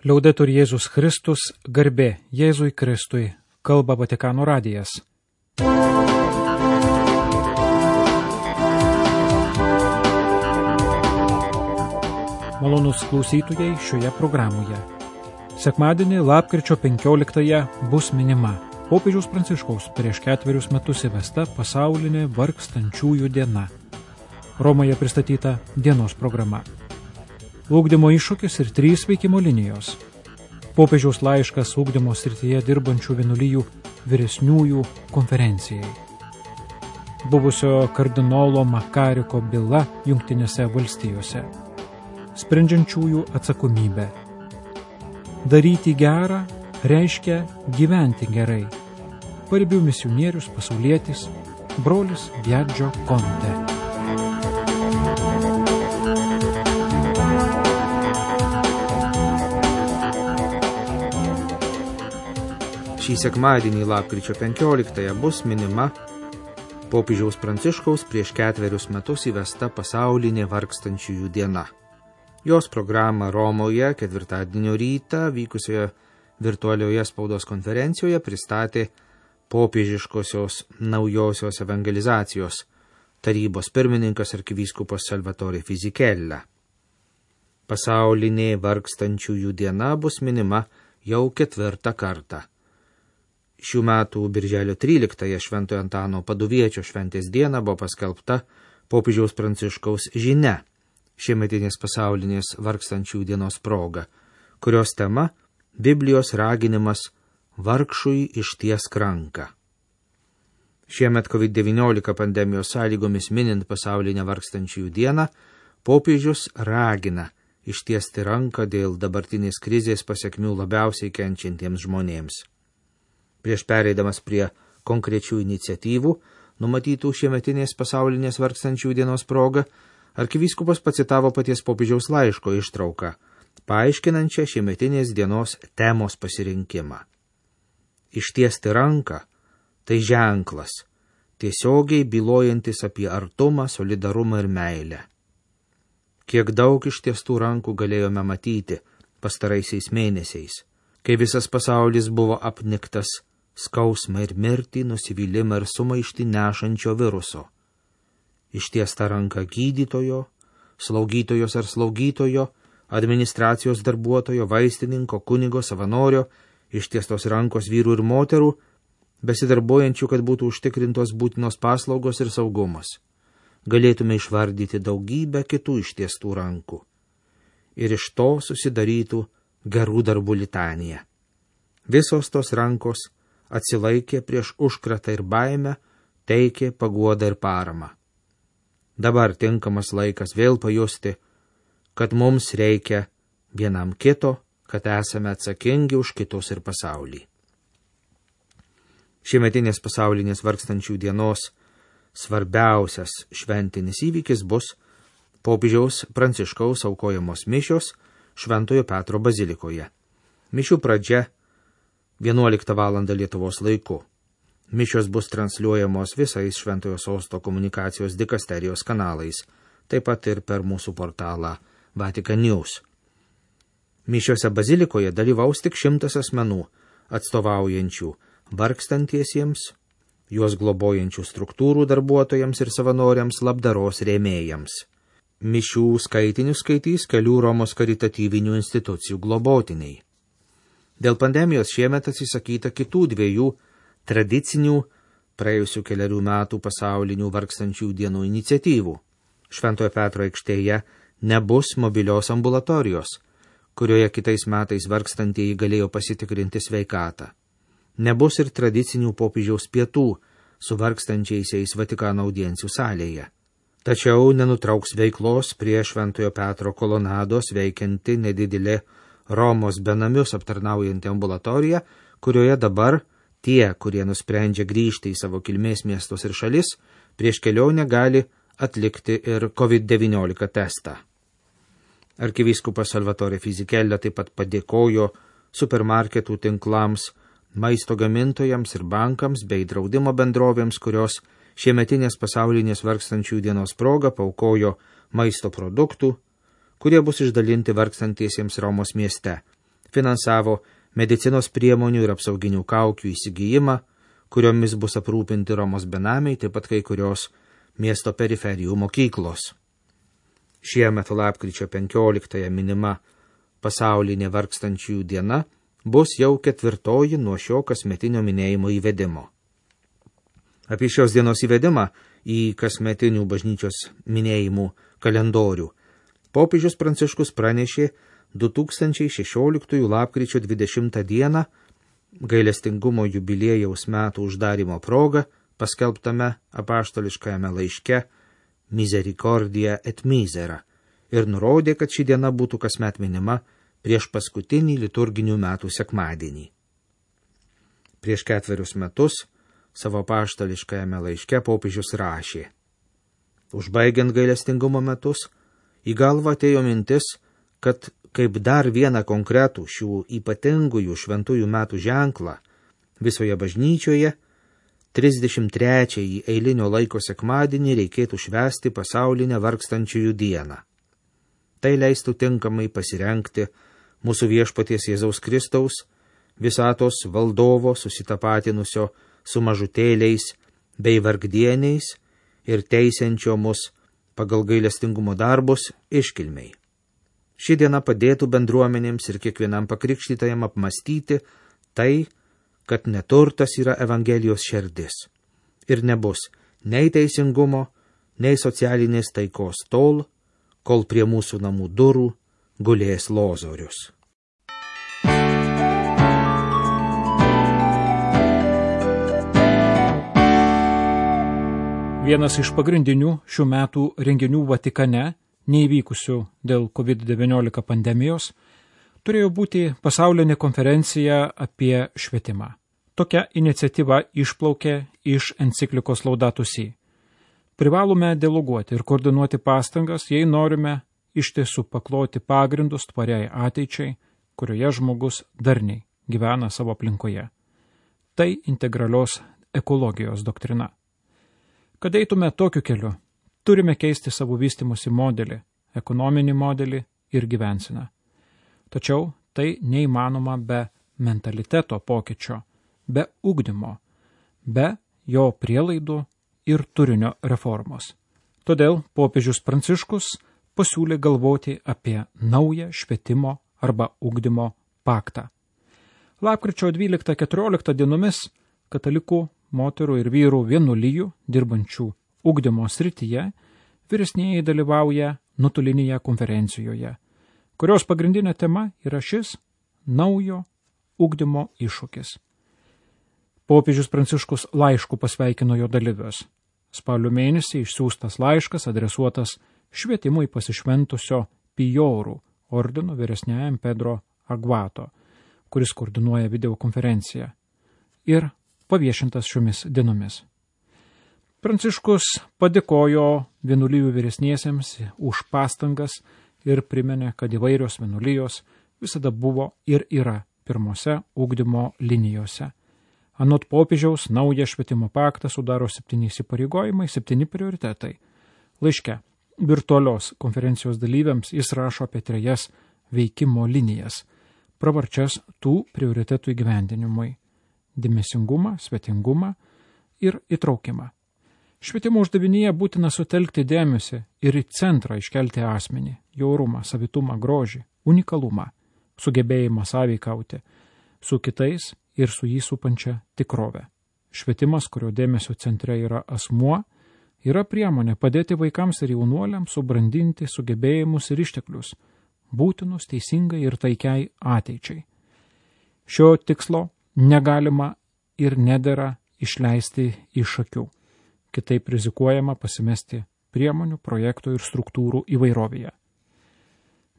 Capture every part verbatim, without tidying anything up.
Liaudetur Jėzus Kristus, garbė Jėzui Kristui, kalba Vatikano radijas. Malonūs klausytojai šioje programoje. Sekmadienį lapkričio penkioliktąją bus minima popiežiaus Pranciškaus prieš ketverius metus įvesta pasaulinė vargstančiųjų diena. Romoje pristatyta dienos programa. Ugdymo iššūkis ir trys veikimo linijos. Popiežiaus laiškas ugdymo srityje dirbančių vienuolijų vyresniųjų konferencijai. Buvusio kardinolo Makariko byla Jungtinėse valstijose. Sprendžiančiųjų atsakomybė. Daryti gerą reiškia gyventi gerai. Paribių misionierius pasaulietis brolis Viaggio Conte. Šį sekmadienį lapkričio penkioliktąją bus minima popiežiaus Pranciškaus prieš ketverius metus įvesta pasaulinė vargstančiųjų diena. Jos programą Romoje ketvirtadienio rytą vykusioje virtualioje spaudos konferencijoje pristatė popiežiškosios naujosios evangelizacijos tarybos pirmininkas arkivyskupas Salvatore Fisichella. Pasaulinė vargstančiųjų diena bus minima jau ketvirtą kartą. Šių metų birželio tryliktąją Šventojo Antano Paduviečio šventės dieną buvo paskelbta popiežiaus Pranciškaus žinia šiemetinės pasaulinės vargstančiųjų dienos proga, kurios tema Biblijos raginimas vargšui ištiesk ranką. Šiemet covid devyniolika pandemijos sąlygomis minint pasaulinę vargstančiųjų dieną, popiežius ragina ištiesti ranką dėl dabartinės krizės pasekmių labiausiai kenčiantiems žmonėms. Prieš pereidamas prie konkrečių iniciatyvų, numatytų šiemetinės pasaulinės vargstančiųjų dienos proga, arkivyskupas pacitavo paties popiežiaus laiško ištrauką, paaiškinančią šiemetinės dienos temos pasirinkimą. Ištiesti ranką – tai ženklas, tiesiogiai bylojantis apie artumą, solidarumą ir meilę. Kiek daug ištiestų rankų galėjome matyti pastaraisiais mėnesiais, kai visas pasaulis buvo apniktas skausmą ir mirtį, nusivylimą ir sumaištį nešančio viruso. Ištiesta ranka gydytojo, slaugytojos ar slaugytojo, administracijos darbuotojo, vaistininko, kunigo, savanorio, ištiestos rankos vyrų ir moterų, besidarbuojančių, kad būtų užtikrintos būtinos paslaugos ir saugumas. Galėtume išvardyti daugybę kitų ištiestų rankų. Ir iš to susidarytų gerų darbų litanija. Visos tos rankos atsilaikė prieš užkratą ir baimę, teikė paguodą ir paramą. Dabar tinkamas laikas vėl pajusti, kad mums reikia vienam kito, kad esame atsakingi už kitus ir pasaulį. Šiemetinės pasaulinės vargstančių dienos svarbiausias šventinis įvykis bus popiežiaus Pranciškaus aukojamos mišios Šventojo Petro bazilikoje. Mišių pradžia vienuoliktą valandą Lietuvos laiku. Mišios bus transliuojamos visais Šventojo Sosto komunikacijos dikasterijos kanalais, taip pat ir per mūsų portalą Vatican News. Mišiose bazilikoje dalyvaus tik šimtas asmenų, atstovaujančių vargstantiesiems, juos globojančių struktūrų darbuotojams ir savanoriams, labdaros rėmėjams. Mišių skaitinius skaitys kelių Romos karitatyvinių institucijų globotiniai. Dėl pandemijos šiemet atsisakyta kitų dviejų tradicinių praėjusių keliarių metų pasaulinių vargstančių dienų iniciatyvų. Šventojo Petro aikštėje nebus mobilios ambulatorijos, kurioje kitais metais vargstantieji galėjo pasitikrinti sveikatą. Nebus ir tradicinių popiežiaus pietų su vargstančiaisiais Vatikano audiencijų salėje. Tačiau nenutrauks veiklos prie Šventojo Petro kolonados veikianti nedidelė Romos benamius aptarnaujanti ambulatorija, kurioje dabar tie, kurie nusprendžia grįžti į savo kilmės miestus ir šalis, prieš kelionę gali atlikti ir covid devyniolika testą. Arkivyskupas Salvatore Fisichella taip pat padėkojo supermarketų tinklams, maisto gamintojams ir bankams bei draudimo bendrovėms, kurios šiemetinės pasaulinės vargstančių dienos proga paukojo maisto produktų, kurie bus išdalinti vargstantiesiems Romos mieste, finansavo medicinos priemonių ir apsauginių kaukių įsigijimą, kuriomis bus aprūpinti Romos benamiai, taip pat kai kurios miesto periferijų mokyklos. Šiemet lapkričio penkioliktąją minima pasaulinė vargstančiųjų diena bus jau ketvirtoji nuo šio kasmetinio minėjimo įvedimo. Apie šios dienos įvedimą į kasmetinių bažnyčios minėjimų kalendorių popiežius Pranciškus pranešė du tūkstančiai šešioliktųjų lapkričio dvidešimtą dieną gailestingumo jubiliejaus metų uždarimo proga paskelbtame apaštališkajame laiške Misericordia et Misera ir nurodė, kad ši diena būtų kasmet minima prieš paskutinį liturginių metų sekmadienį. Prieš ketverius metus savo apaštališkajame laiške popiežius rašė: užbaigiant gailestingumo metus, į galvą atėjo mintis, kad kaip dar vieną konkretų šių ypatingųjų šventųjų metų ženklą visoje bažnyčioje, trisdešimt trečiąjį eilinio laiko sekmadienį reikėtų švęsti pasaulinę vargstančiųjų dieną. Tai leistų tinkamai pasirengti mūsų viešpaties Jėzaus Kristaus, visatos valdovo susitapatinusio su mažutėliais bei vargdieniais ir teisiančio mus pagal gailestingumo darbus iškilmei. Ši diena padėtų bendruomenėms ir kiekvienam pakrikštytajam apmastyti tai, kad neturtas yra Evangelijos šerdis ir nebus nei teisingumo, nei socialinės taikos tol, kol prie mūsų namų durų gulės lozorius. Vienas iš pagrindinių šių metų renginių Vatikane, neįvykusių dėl covid devyniolika pandemijos, turėjo būti pasaulinė konferencija apie švietimą. Tokia iniciatyva išplaukė iš enciklikos Laudato Si. Privalome dialoguoti ir koordinuoti pastangas, jei norime iš tiesų pakloti pagrindus tvariai ateičiai, kurioje žmogus darniai gyvena savo aplinkoje. Tai integralios ekologijos doktrina. Kad eitume tokiu keliu, turime keisti savo vystymosi modelį, ekonominį modelį ir gyvenseną. Tačiau tai neįmanoma be mentaliteto pokyčio, be ugdymo, be jo prielaidų ir turinio reformos. Todėl popiežius Pranciškus pasiūlė galvoti apie naują švietimo arba ugdymo paktą. Lapkričio dvyliktą keturioliktą dienomis katalikų moterų ir vyrų vienuolijų dirbančių ugdymo srityje vyresnieji dalyvauja nuotolinėje konferencijoje, kurios pagrindinė tema yra šis naujo ugdymo iššūkis. Popiežius Pranciškus laišku pasveikino jo dalyvius. Spalio mėnesį išsiųstas laiškas adresuotas švietimui pasišventusio Pijorų ordino vyresniajam Pedro Agvato, kuris koordinuoja videokonferenciją, ir paviešintas šiomis dienomis. Pranciškus padėkojo vienuolijų vyresniesiems už pastangas ir priminė, kad įvairios vienuolijos visada buvo ir yra pirmose ugdymo linijose. Anot popiežiaus, naują švietimo paktą sudaro septyni įsipareigojimai, septyni prioritetai. Laiške virtualios konferencijos dalyviams jis rašo apie trejas veikimo linijas, pravarčias tų prioritetų įgyvendinimui – dėmesingumą, svetingumą ir įtraukimą. Švietimo uždavinyje būtina sutelkti dėmesį ir į centrą iškelti asmenį, jo orumą, savitumą, grožį, unikalumą, sugebėjimą sąveikauti su kitais ir su jį supančia tikrove. Švietimas, kurio dėmesio centre yra asmuo, yra priemonė padėti vaikams ir jaunuoliams subrandinti sugebėjimus ir išteklius, būtinus teisingai ir taikiai ateičiai. Šio tikslo negalima ir nedera išleisti iš akių. Kitaip rizikuojama pasimesti priemonių, projektų ir struktūrų įvairovėje.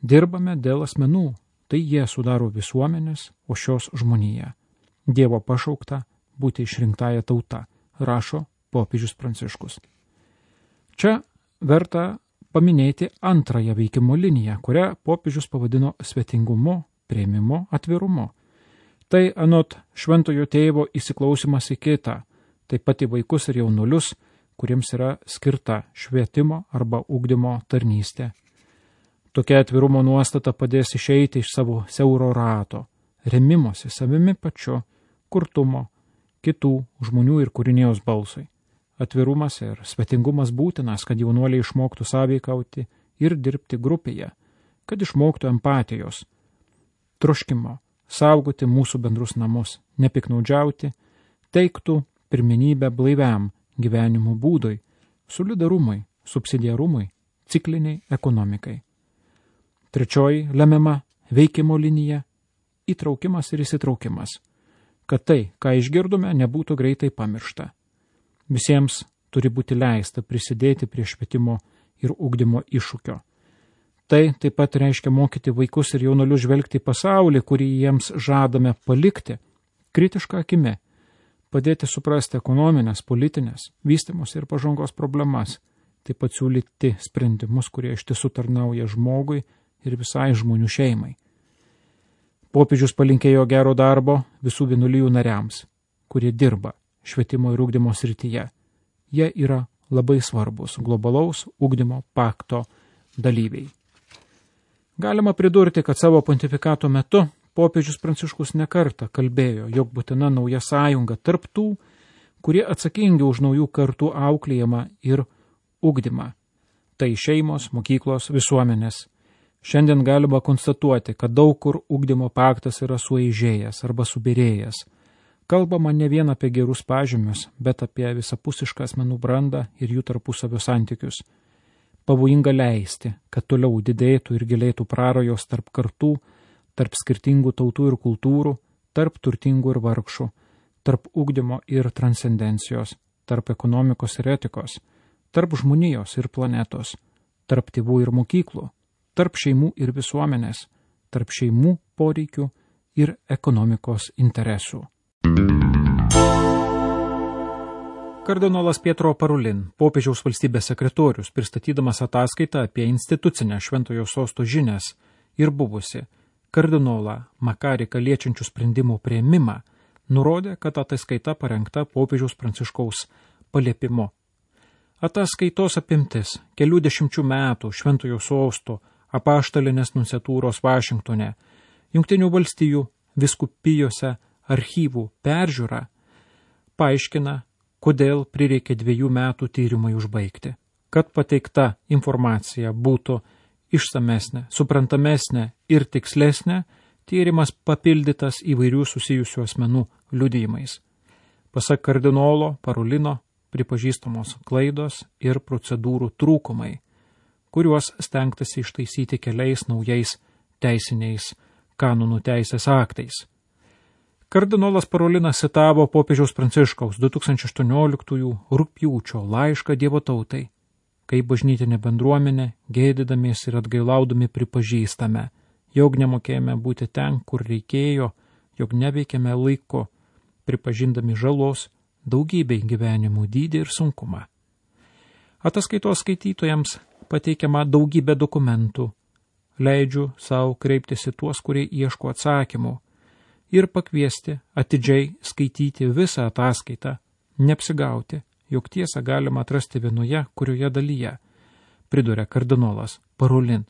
Dirbame dėl asmenų, tai jie sudaro visuomenės, o šios žmonija. Dievo pašaukta būti išrinktąją tautą, rašo popiežius Pranciškus. Čia verta paminėti antrąją veikimo liniją, kurią popiežius pavadino svetingumu, priėmimu, atvirumu. Tai anot šventojo tėvo įsiklausimas į kitą, taip pat į vaikus ir jaunuolius, kuriems yra skirta švietimo arba ugdymo tarnystė. Tokia atvirumo nuostata padės išeiti iš savo siauro rato, remimosi savimi pačiu, kurtumo, kitų žmonių ir kūrinėjos balsui. Atvirumas ir svetingumas būtinas, kad jaunuoliai išmoktų sąveikauti ir dirbti grupėje, kad išmoktų empatijos, troškimo, saugoti mūsų bendrus namus, nepiknaudžiauti, teiktų pirmenybę blaiviam gyvenimo būdui, solidarumui, subsidiarumui, cikliniai ekonomikai. Trečioji lemiama veikimo linija – įtraukimas ir įsitraukimas, kad tai, ką išgirdome, nebūtų greitai pamiršta. Visiems turi būti leista prisidėti prie švietimo ir ugdymo iššūkio. Tai taip pat reiškia mokyti vaikus ir jaunuolius žvelgti į pasaulį, kurį jiems žadame palikti, kritišką akimi, padėti suprasti ekonominės, politinės, vystymosi ir pažangos problemas, taip pat siūlyti sprendimus, kurie iš tiesų tarnauja žmogui ir visai žmonių šeimai. Popiežius palinkėjo gero darbo visų vienuolijų nariams, kurie dirba švietimo ir ugdymo srityje. Jie yra labai svarbus globalaus ugdymo pakto dalyviai. Galima pridurti, kad savo pontifikato metu popiežius Pranciškus nekartą kalbėjo, jog būtina nauja sąjunga tarp tų, kurie atsakingi už naujų kartų auklėjimą ir ugdymą. Tai šeimos, mokyklos, visuomenės. Šiandien galima konstatuoti, kad daug kur ugdymo paktas yra sueižėjęs arba subirėjęs. Kalbama ne vien apie gerus pažymius, bet apie visapusišką asmenų brandą ir jų tarpusavio santykius. Pavojinga leisti, kad toliau didėtų ir gilėtų prarajos tarp kartų, tarp skirtingų tautų ir kultūrų, tarp turtingų ir vargšų, tarp ugdymo ir transcendencijos, tarp ekonomikos ir etikos, tarp žmonijos ir planetos, tarp tėvų ir mokyklų, tarp šeimų ir visuomenės, tarp šeimų poreikių ir ekonomikos interesų. Kardinolas Pietro Parolin, popiežiaus valstybės sekretorius, pristatydamas ataskaitą apie institucinę Šventojo sosto žinias ir buvusi kardinolą Makariką liečiančių sprendimų priėmimą, nurodė, kad ataskaita parengta popiežiaus Pranciškaus paliepimu. Ataskaitos apimtis kelių dešimčių metų Šventojo sosto apaštalinės nunciatūros Vašingtone, Jungtinių valstijų viskupijose archyvų peržiūra paaiškina, kodėl prireikė dviejų metų tyrimai užbaigti. Kad pateikta informacija būtų išsamesnė, suprantamesnė ir tikslesnė, tyrimas papildytas įvairių susijusių asmenų liudijimais. Pasak kardinolo Parolino pripažįstamos klaidos ir procedūrų trūkumai, kuriuos stengtasi ištaisyti keliais naujais teisiniais kanonų teisės aktais. Kardinolas Parolinas citavo popiežiaus Pranciškaus du tūkstančiai aštuonioliktųjų rugpjūčio laišką Dievo tautai, kai bažnytinė bendruomenė, gėdydamiesi ir atgailaudami pripažįstame, jog nemokėjome būti ten, kur reikėjo, jog neveikėme laiku, pripažindami žalos daugybei gyvenimų dydį ir sunkumą. Ataskaitos skaitytojams pateikiama daugybė dokumentų, leidžiu savo kreiptis į tuos, kurie ieško atsakymų, ir pakviesti atidžiai skaityti visą ataskaitą, neapsigauti, jog tiesą galima atrasti vienoje, kurioje dalyje, priduria kardinolas Parolin.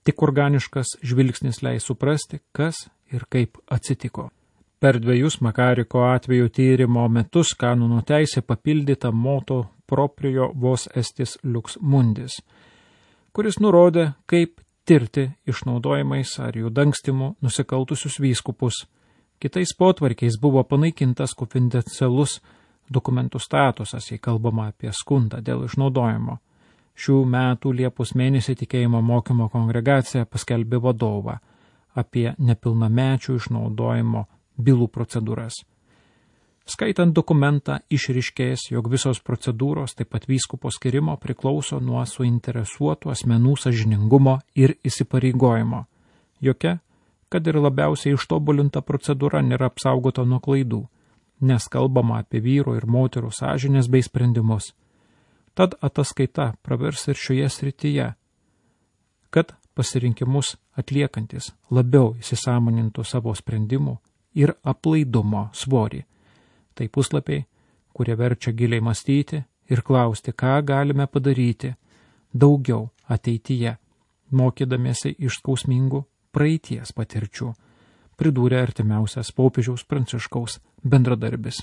Tik organiškas žvilgsnis leis suprasti, kas ir kaip atsitiko. Per dviejus Makariko atveju tyrimo metus kanonų teisė papildyta moto proprio vos estis lux mundis, kuris nurodė, kaip tirti išnaudojimais ar jų dangstimu nusikaltusius vyskupus. Kitais potvarkiais buvo panaikintas konfidencialus dokumentų statusas, jei kalbama apie skundą dėl išnaudojimo. Šių metų Liepos mėnesį tikėjimo mokymo kongregacija paskelbė vadovą apie nepilnamečių išnaudojimo bylų procedūras. Skaitant dokumentą išryškės, jog visos procedūros, taip pat vyskupo skirimo, priklauso nuo suinteresuotų asmenų sąžiningumo ir įsipareigojimo. Jokia, kad ir labiausiai ištobulinta procedūra nėra apsaugota nuo klaidų, nes kalbama apie vyro ir moterų sąžinės bei sprendimus. Tad ataskaita pravers ir šioje srityje, kad pasirinkimus atliekantis labiau įsisąmonintų savo sprendimų ir aplaidumo svorį. Tai puslapiai, kurie verčia giliai mąstyti ir klausti, ką galime padaryti daugiau ateityje, mokydamiesi iš skausmingų praeities patirčių, pridūrė artimiausias popiežiaus Pranciškaus bendradarbis.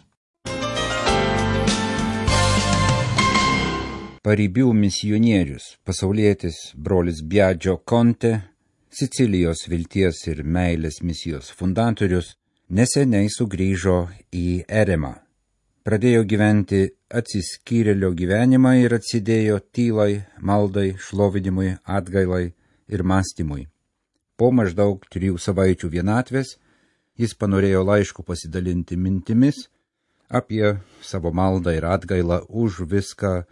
Paribių misionierius, pasaulietis brolis Biagio Conte, Sicilijos vilties ir meilės misijos fundatorius, neseniai sugrįžo į Eremą. Pradėjo gyventi atsiskyrėlio gyvenimą ir atsidėjo tylai, maldai, šlovinimui, atgailai ir mąstymui. Po maždaug trijų savaičių vienatvės jis panorėjo laišku pasidalinti mintimis apie savo maldą ir atgailą už viską,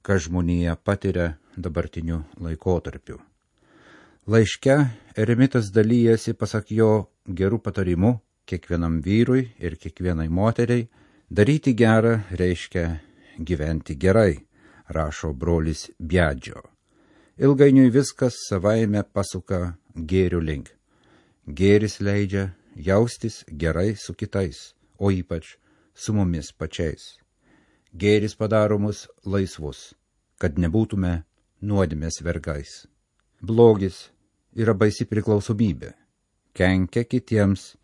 ką žmonija patiria dabartiniu laikotarpiu. Laiške eremitas dalyjasi, pasak jo, gerų patarimų kiekvienam vyrui ir kiekvienai moteriai. Daryti gerą reiškia gyventi gerai, rašo brolis Biagio. Ilgainiui viskas savaime pasuka gėrių link. Gėris leidžia jaustis gerai su kitais, o ypač su mumis pačiais. Gėris padaro mus laisvus, kad nebūtume nuodėmės vergais. Blogis yra baisi priklausomybė, kenkia kitiems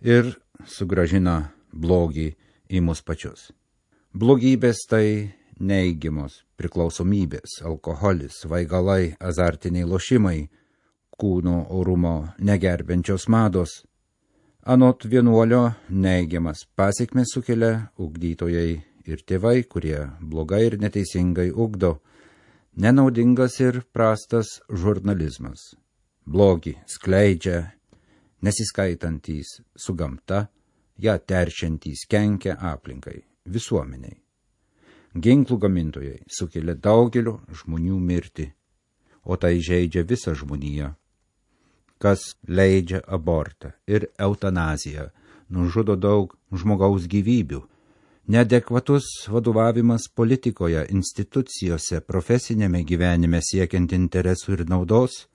ir sugrąžina blogį į mus pačius. Blogybės tai neigiamos priklausomybės, alkoholis, svaigalai, azartiniai lošimai, kūno orumo negerbiančios mados. Anot vienuolio neigiamas pasekmes sukelia ugdytojai ir tėvai, kurie blogai ir neteisingai ugdo, nenaudingas ir prastas žurnalizmas. Blogį skleidžia nesiskaitantys su gamta, ją teršiantys kenkia aplinkai, visuomeniai. Ginklų gamintojai sukelia daugelio žmonių mirtį, o tai žeidžia visą žmoniją. Kas leidžia abortą ir eutanaziją, nužudo daug žmogaus gyvybių. Neadekvatus vadovavimas politikoje, institucijose, profesinėme gyvenime siekiant interesų ir naudos,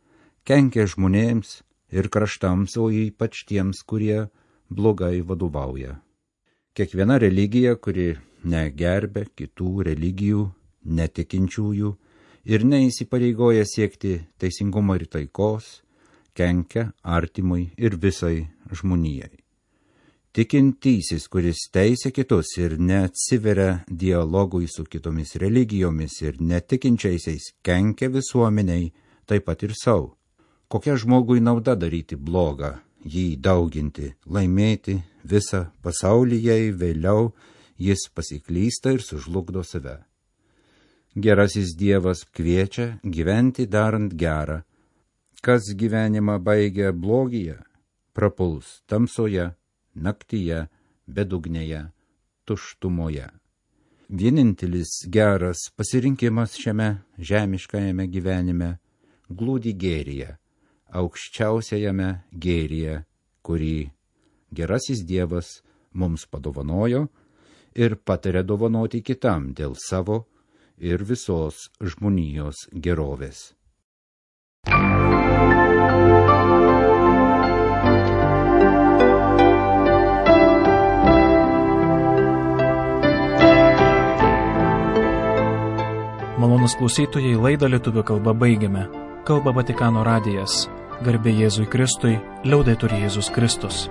kenkia žmonėms ir kraštams, o ypač tiems, kurie blogai vadovauja. Kiekviena religija, kuri negerbia kitų religijų, netikinčiųjų ir neįsipareigoja siekti teisingumo ir taikos, kenkia artimui ir visai žmonijai. Tikintysis, kuris teisia kitus ir neatsiveria dialogui su kitomis religijomis ir netikinčiaisiais, kenkia visuomeniai, taip pat ir savo. Kokia žmogui nauda daryti blogą, jį dauginti, laimėti visą pasaulį, jei vėliau jis pasiklysta ir sužlugdo save. Gerasis Dievas kviečia gyventi darant gerą. Kas gyvenimą baigia blogyje, prapuls tamsoje, naktyje, bedugnėje, tuštumoje. Vienintelis geras pasirinkimas šiame žemiškajame gyvenime glūdi gėryje, aukščiausiajame gėryje, kurį gerasis Dievas mums padovanojo ir patarė dovanoti kitam dėl savo ir visos žmonijos gerovės. Malonūs klausytojai, laidą lietuvių kalba baigiame. Kalba Vatikano radijas. Garbė Jėzui Kristui, liaudetur Jėzus Kristus.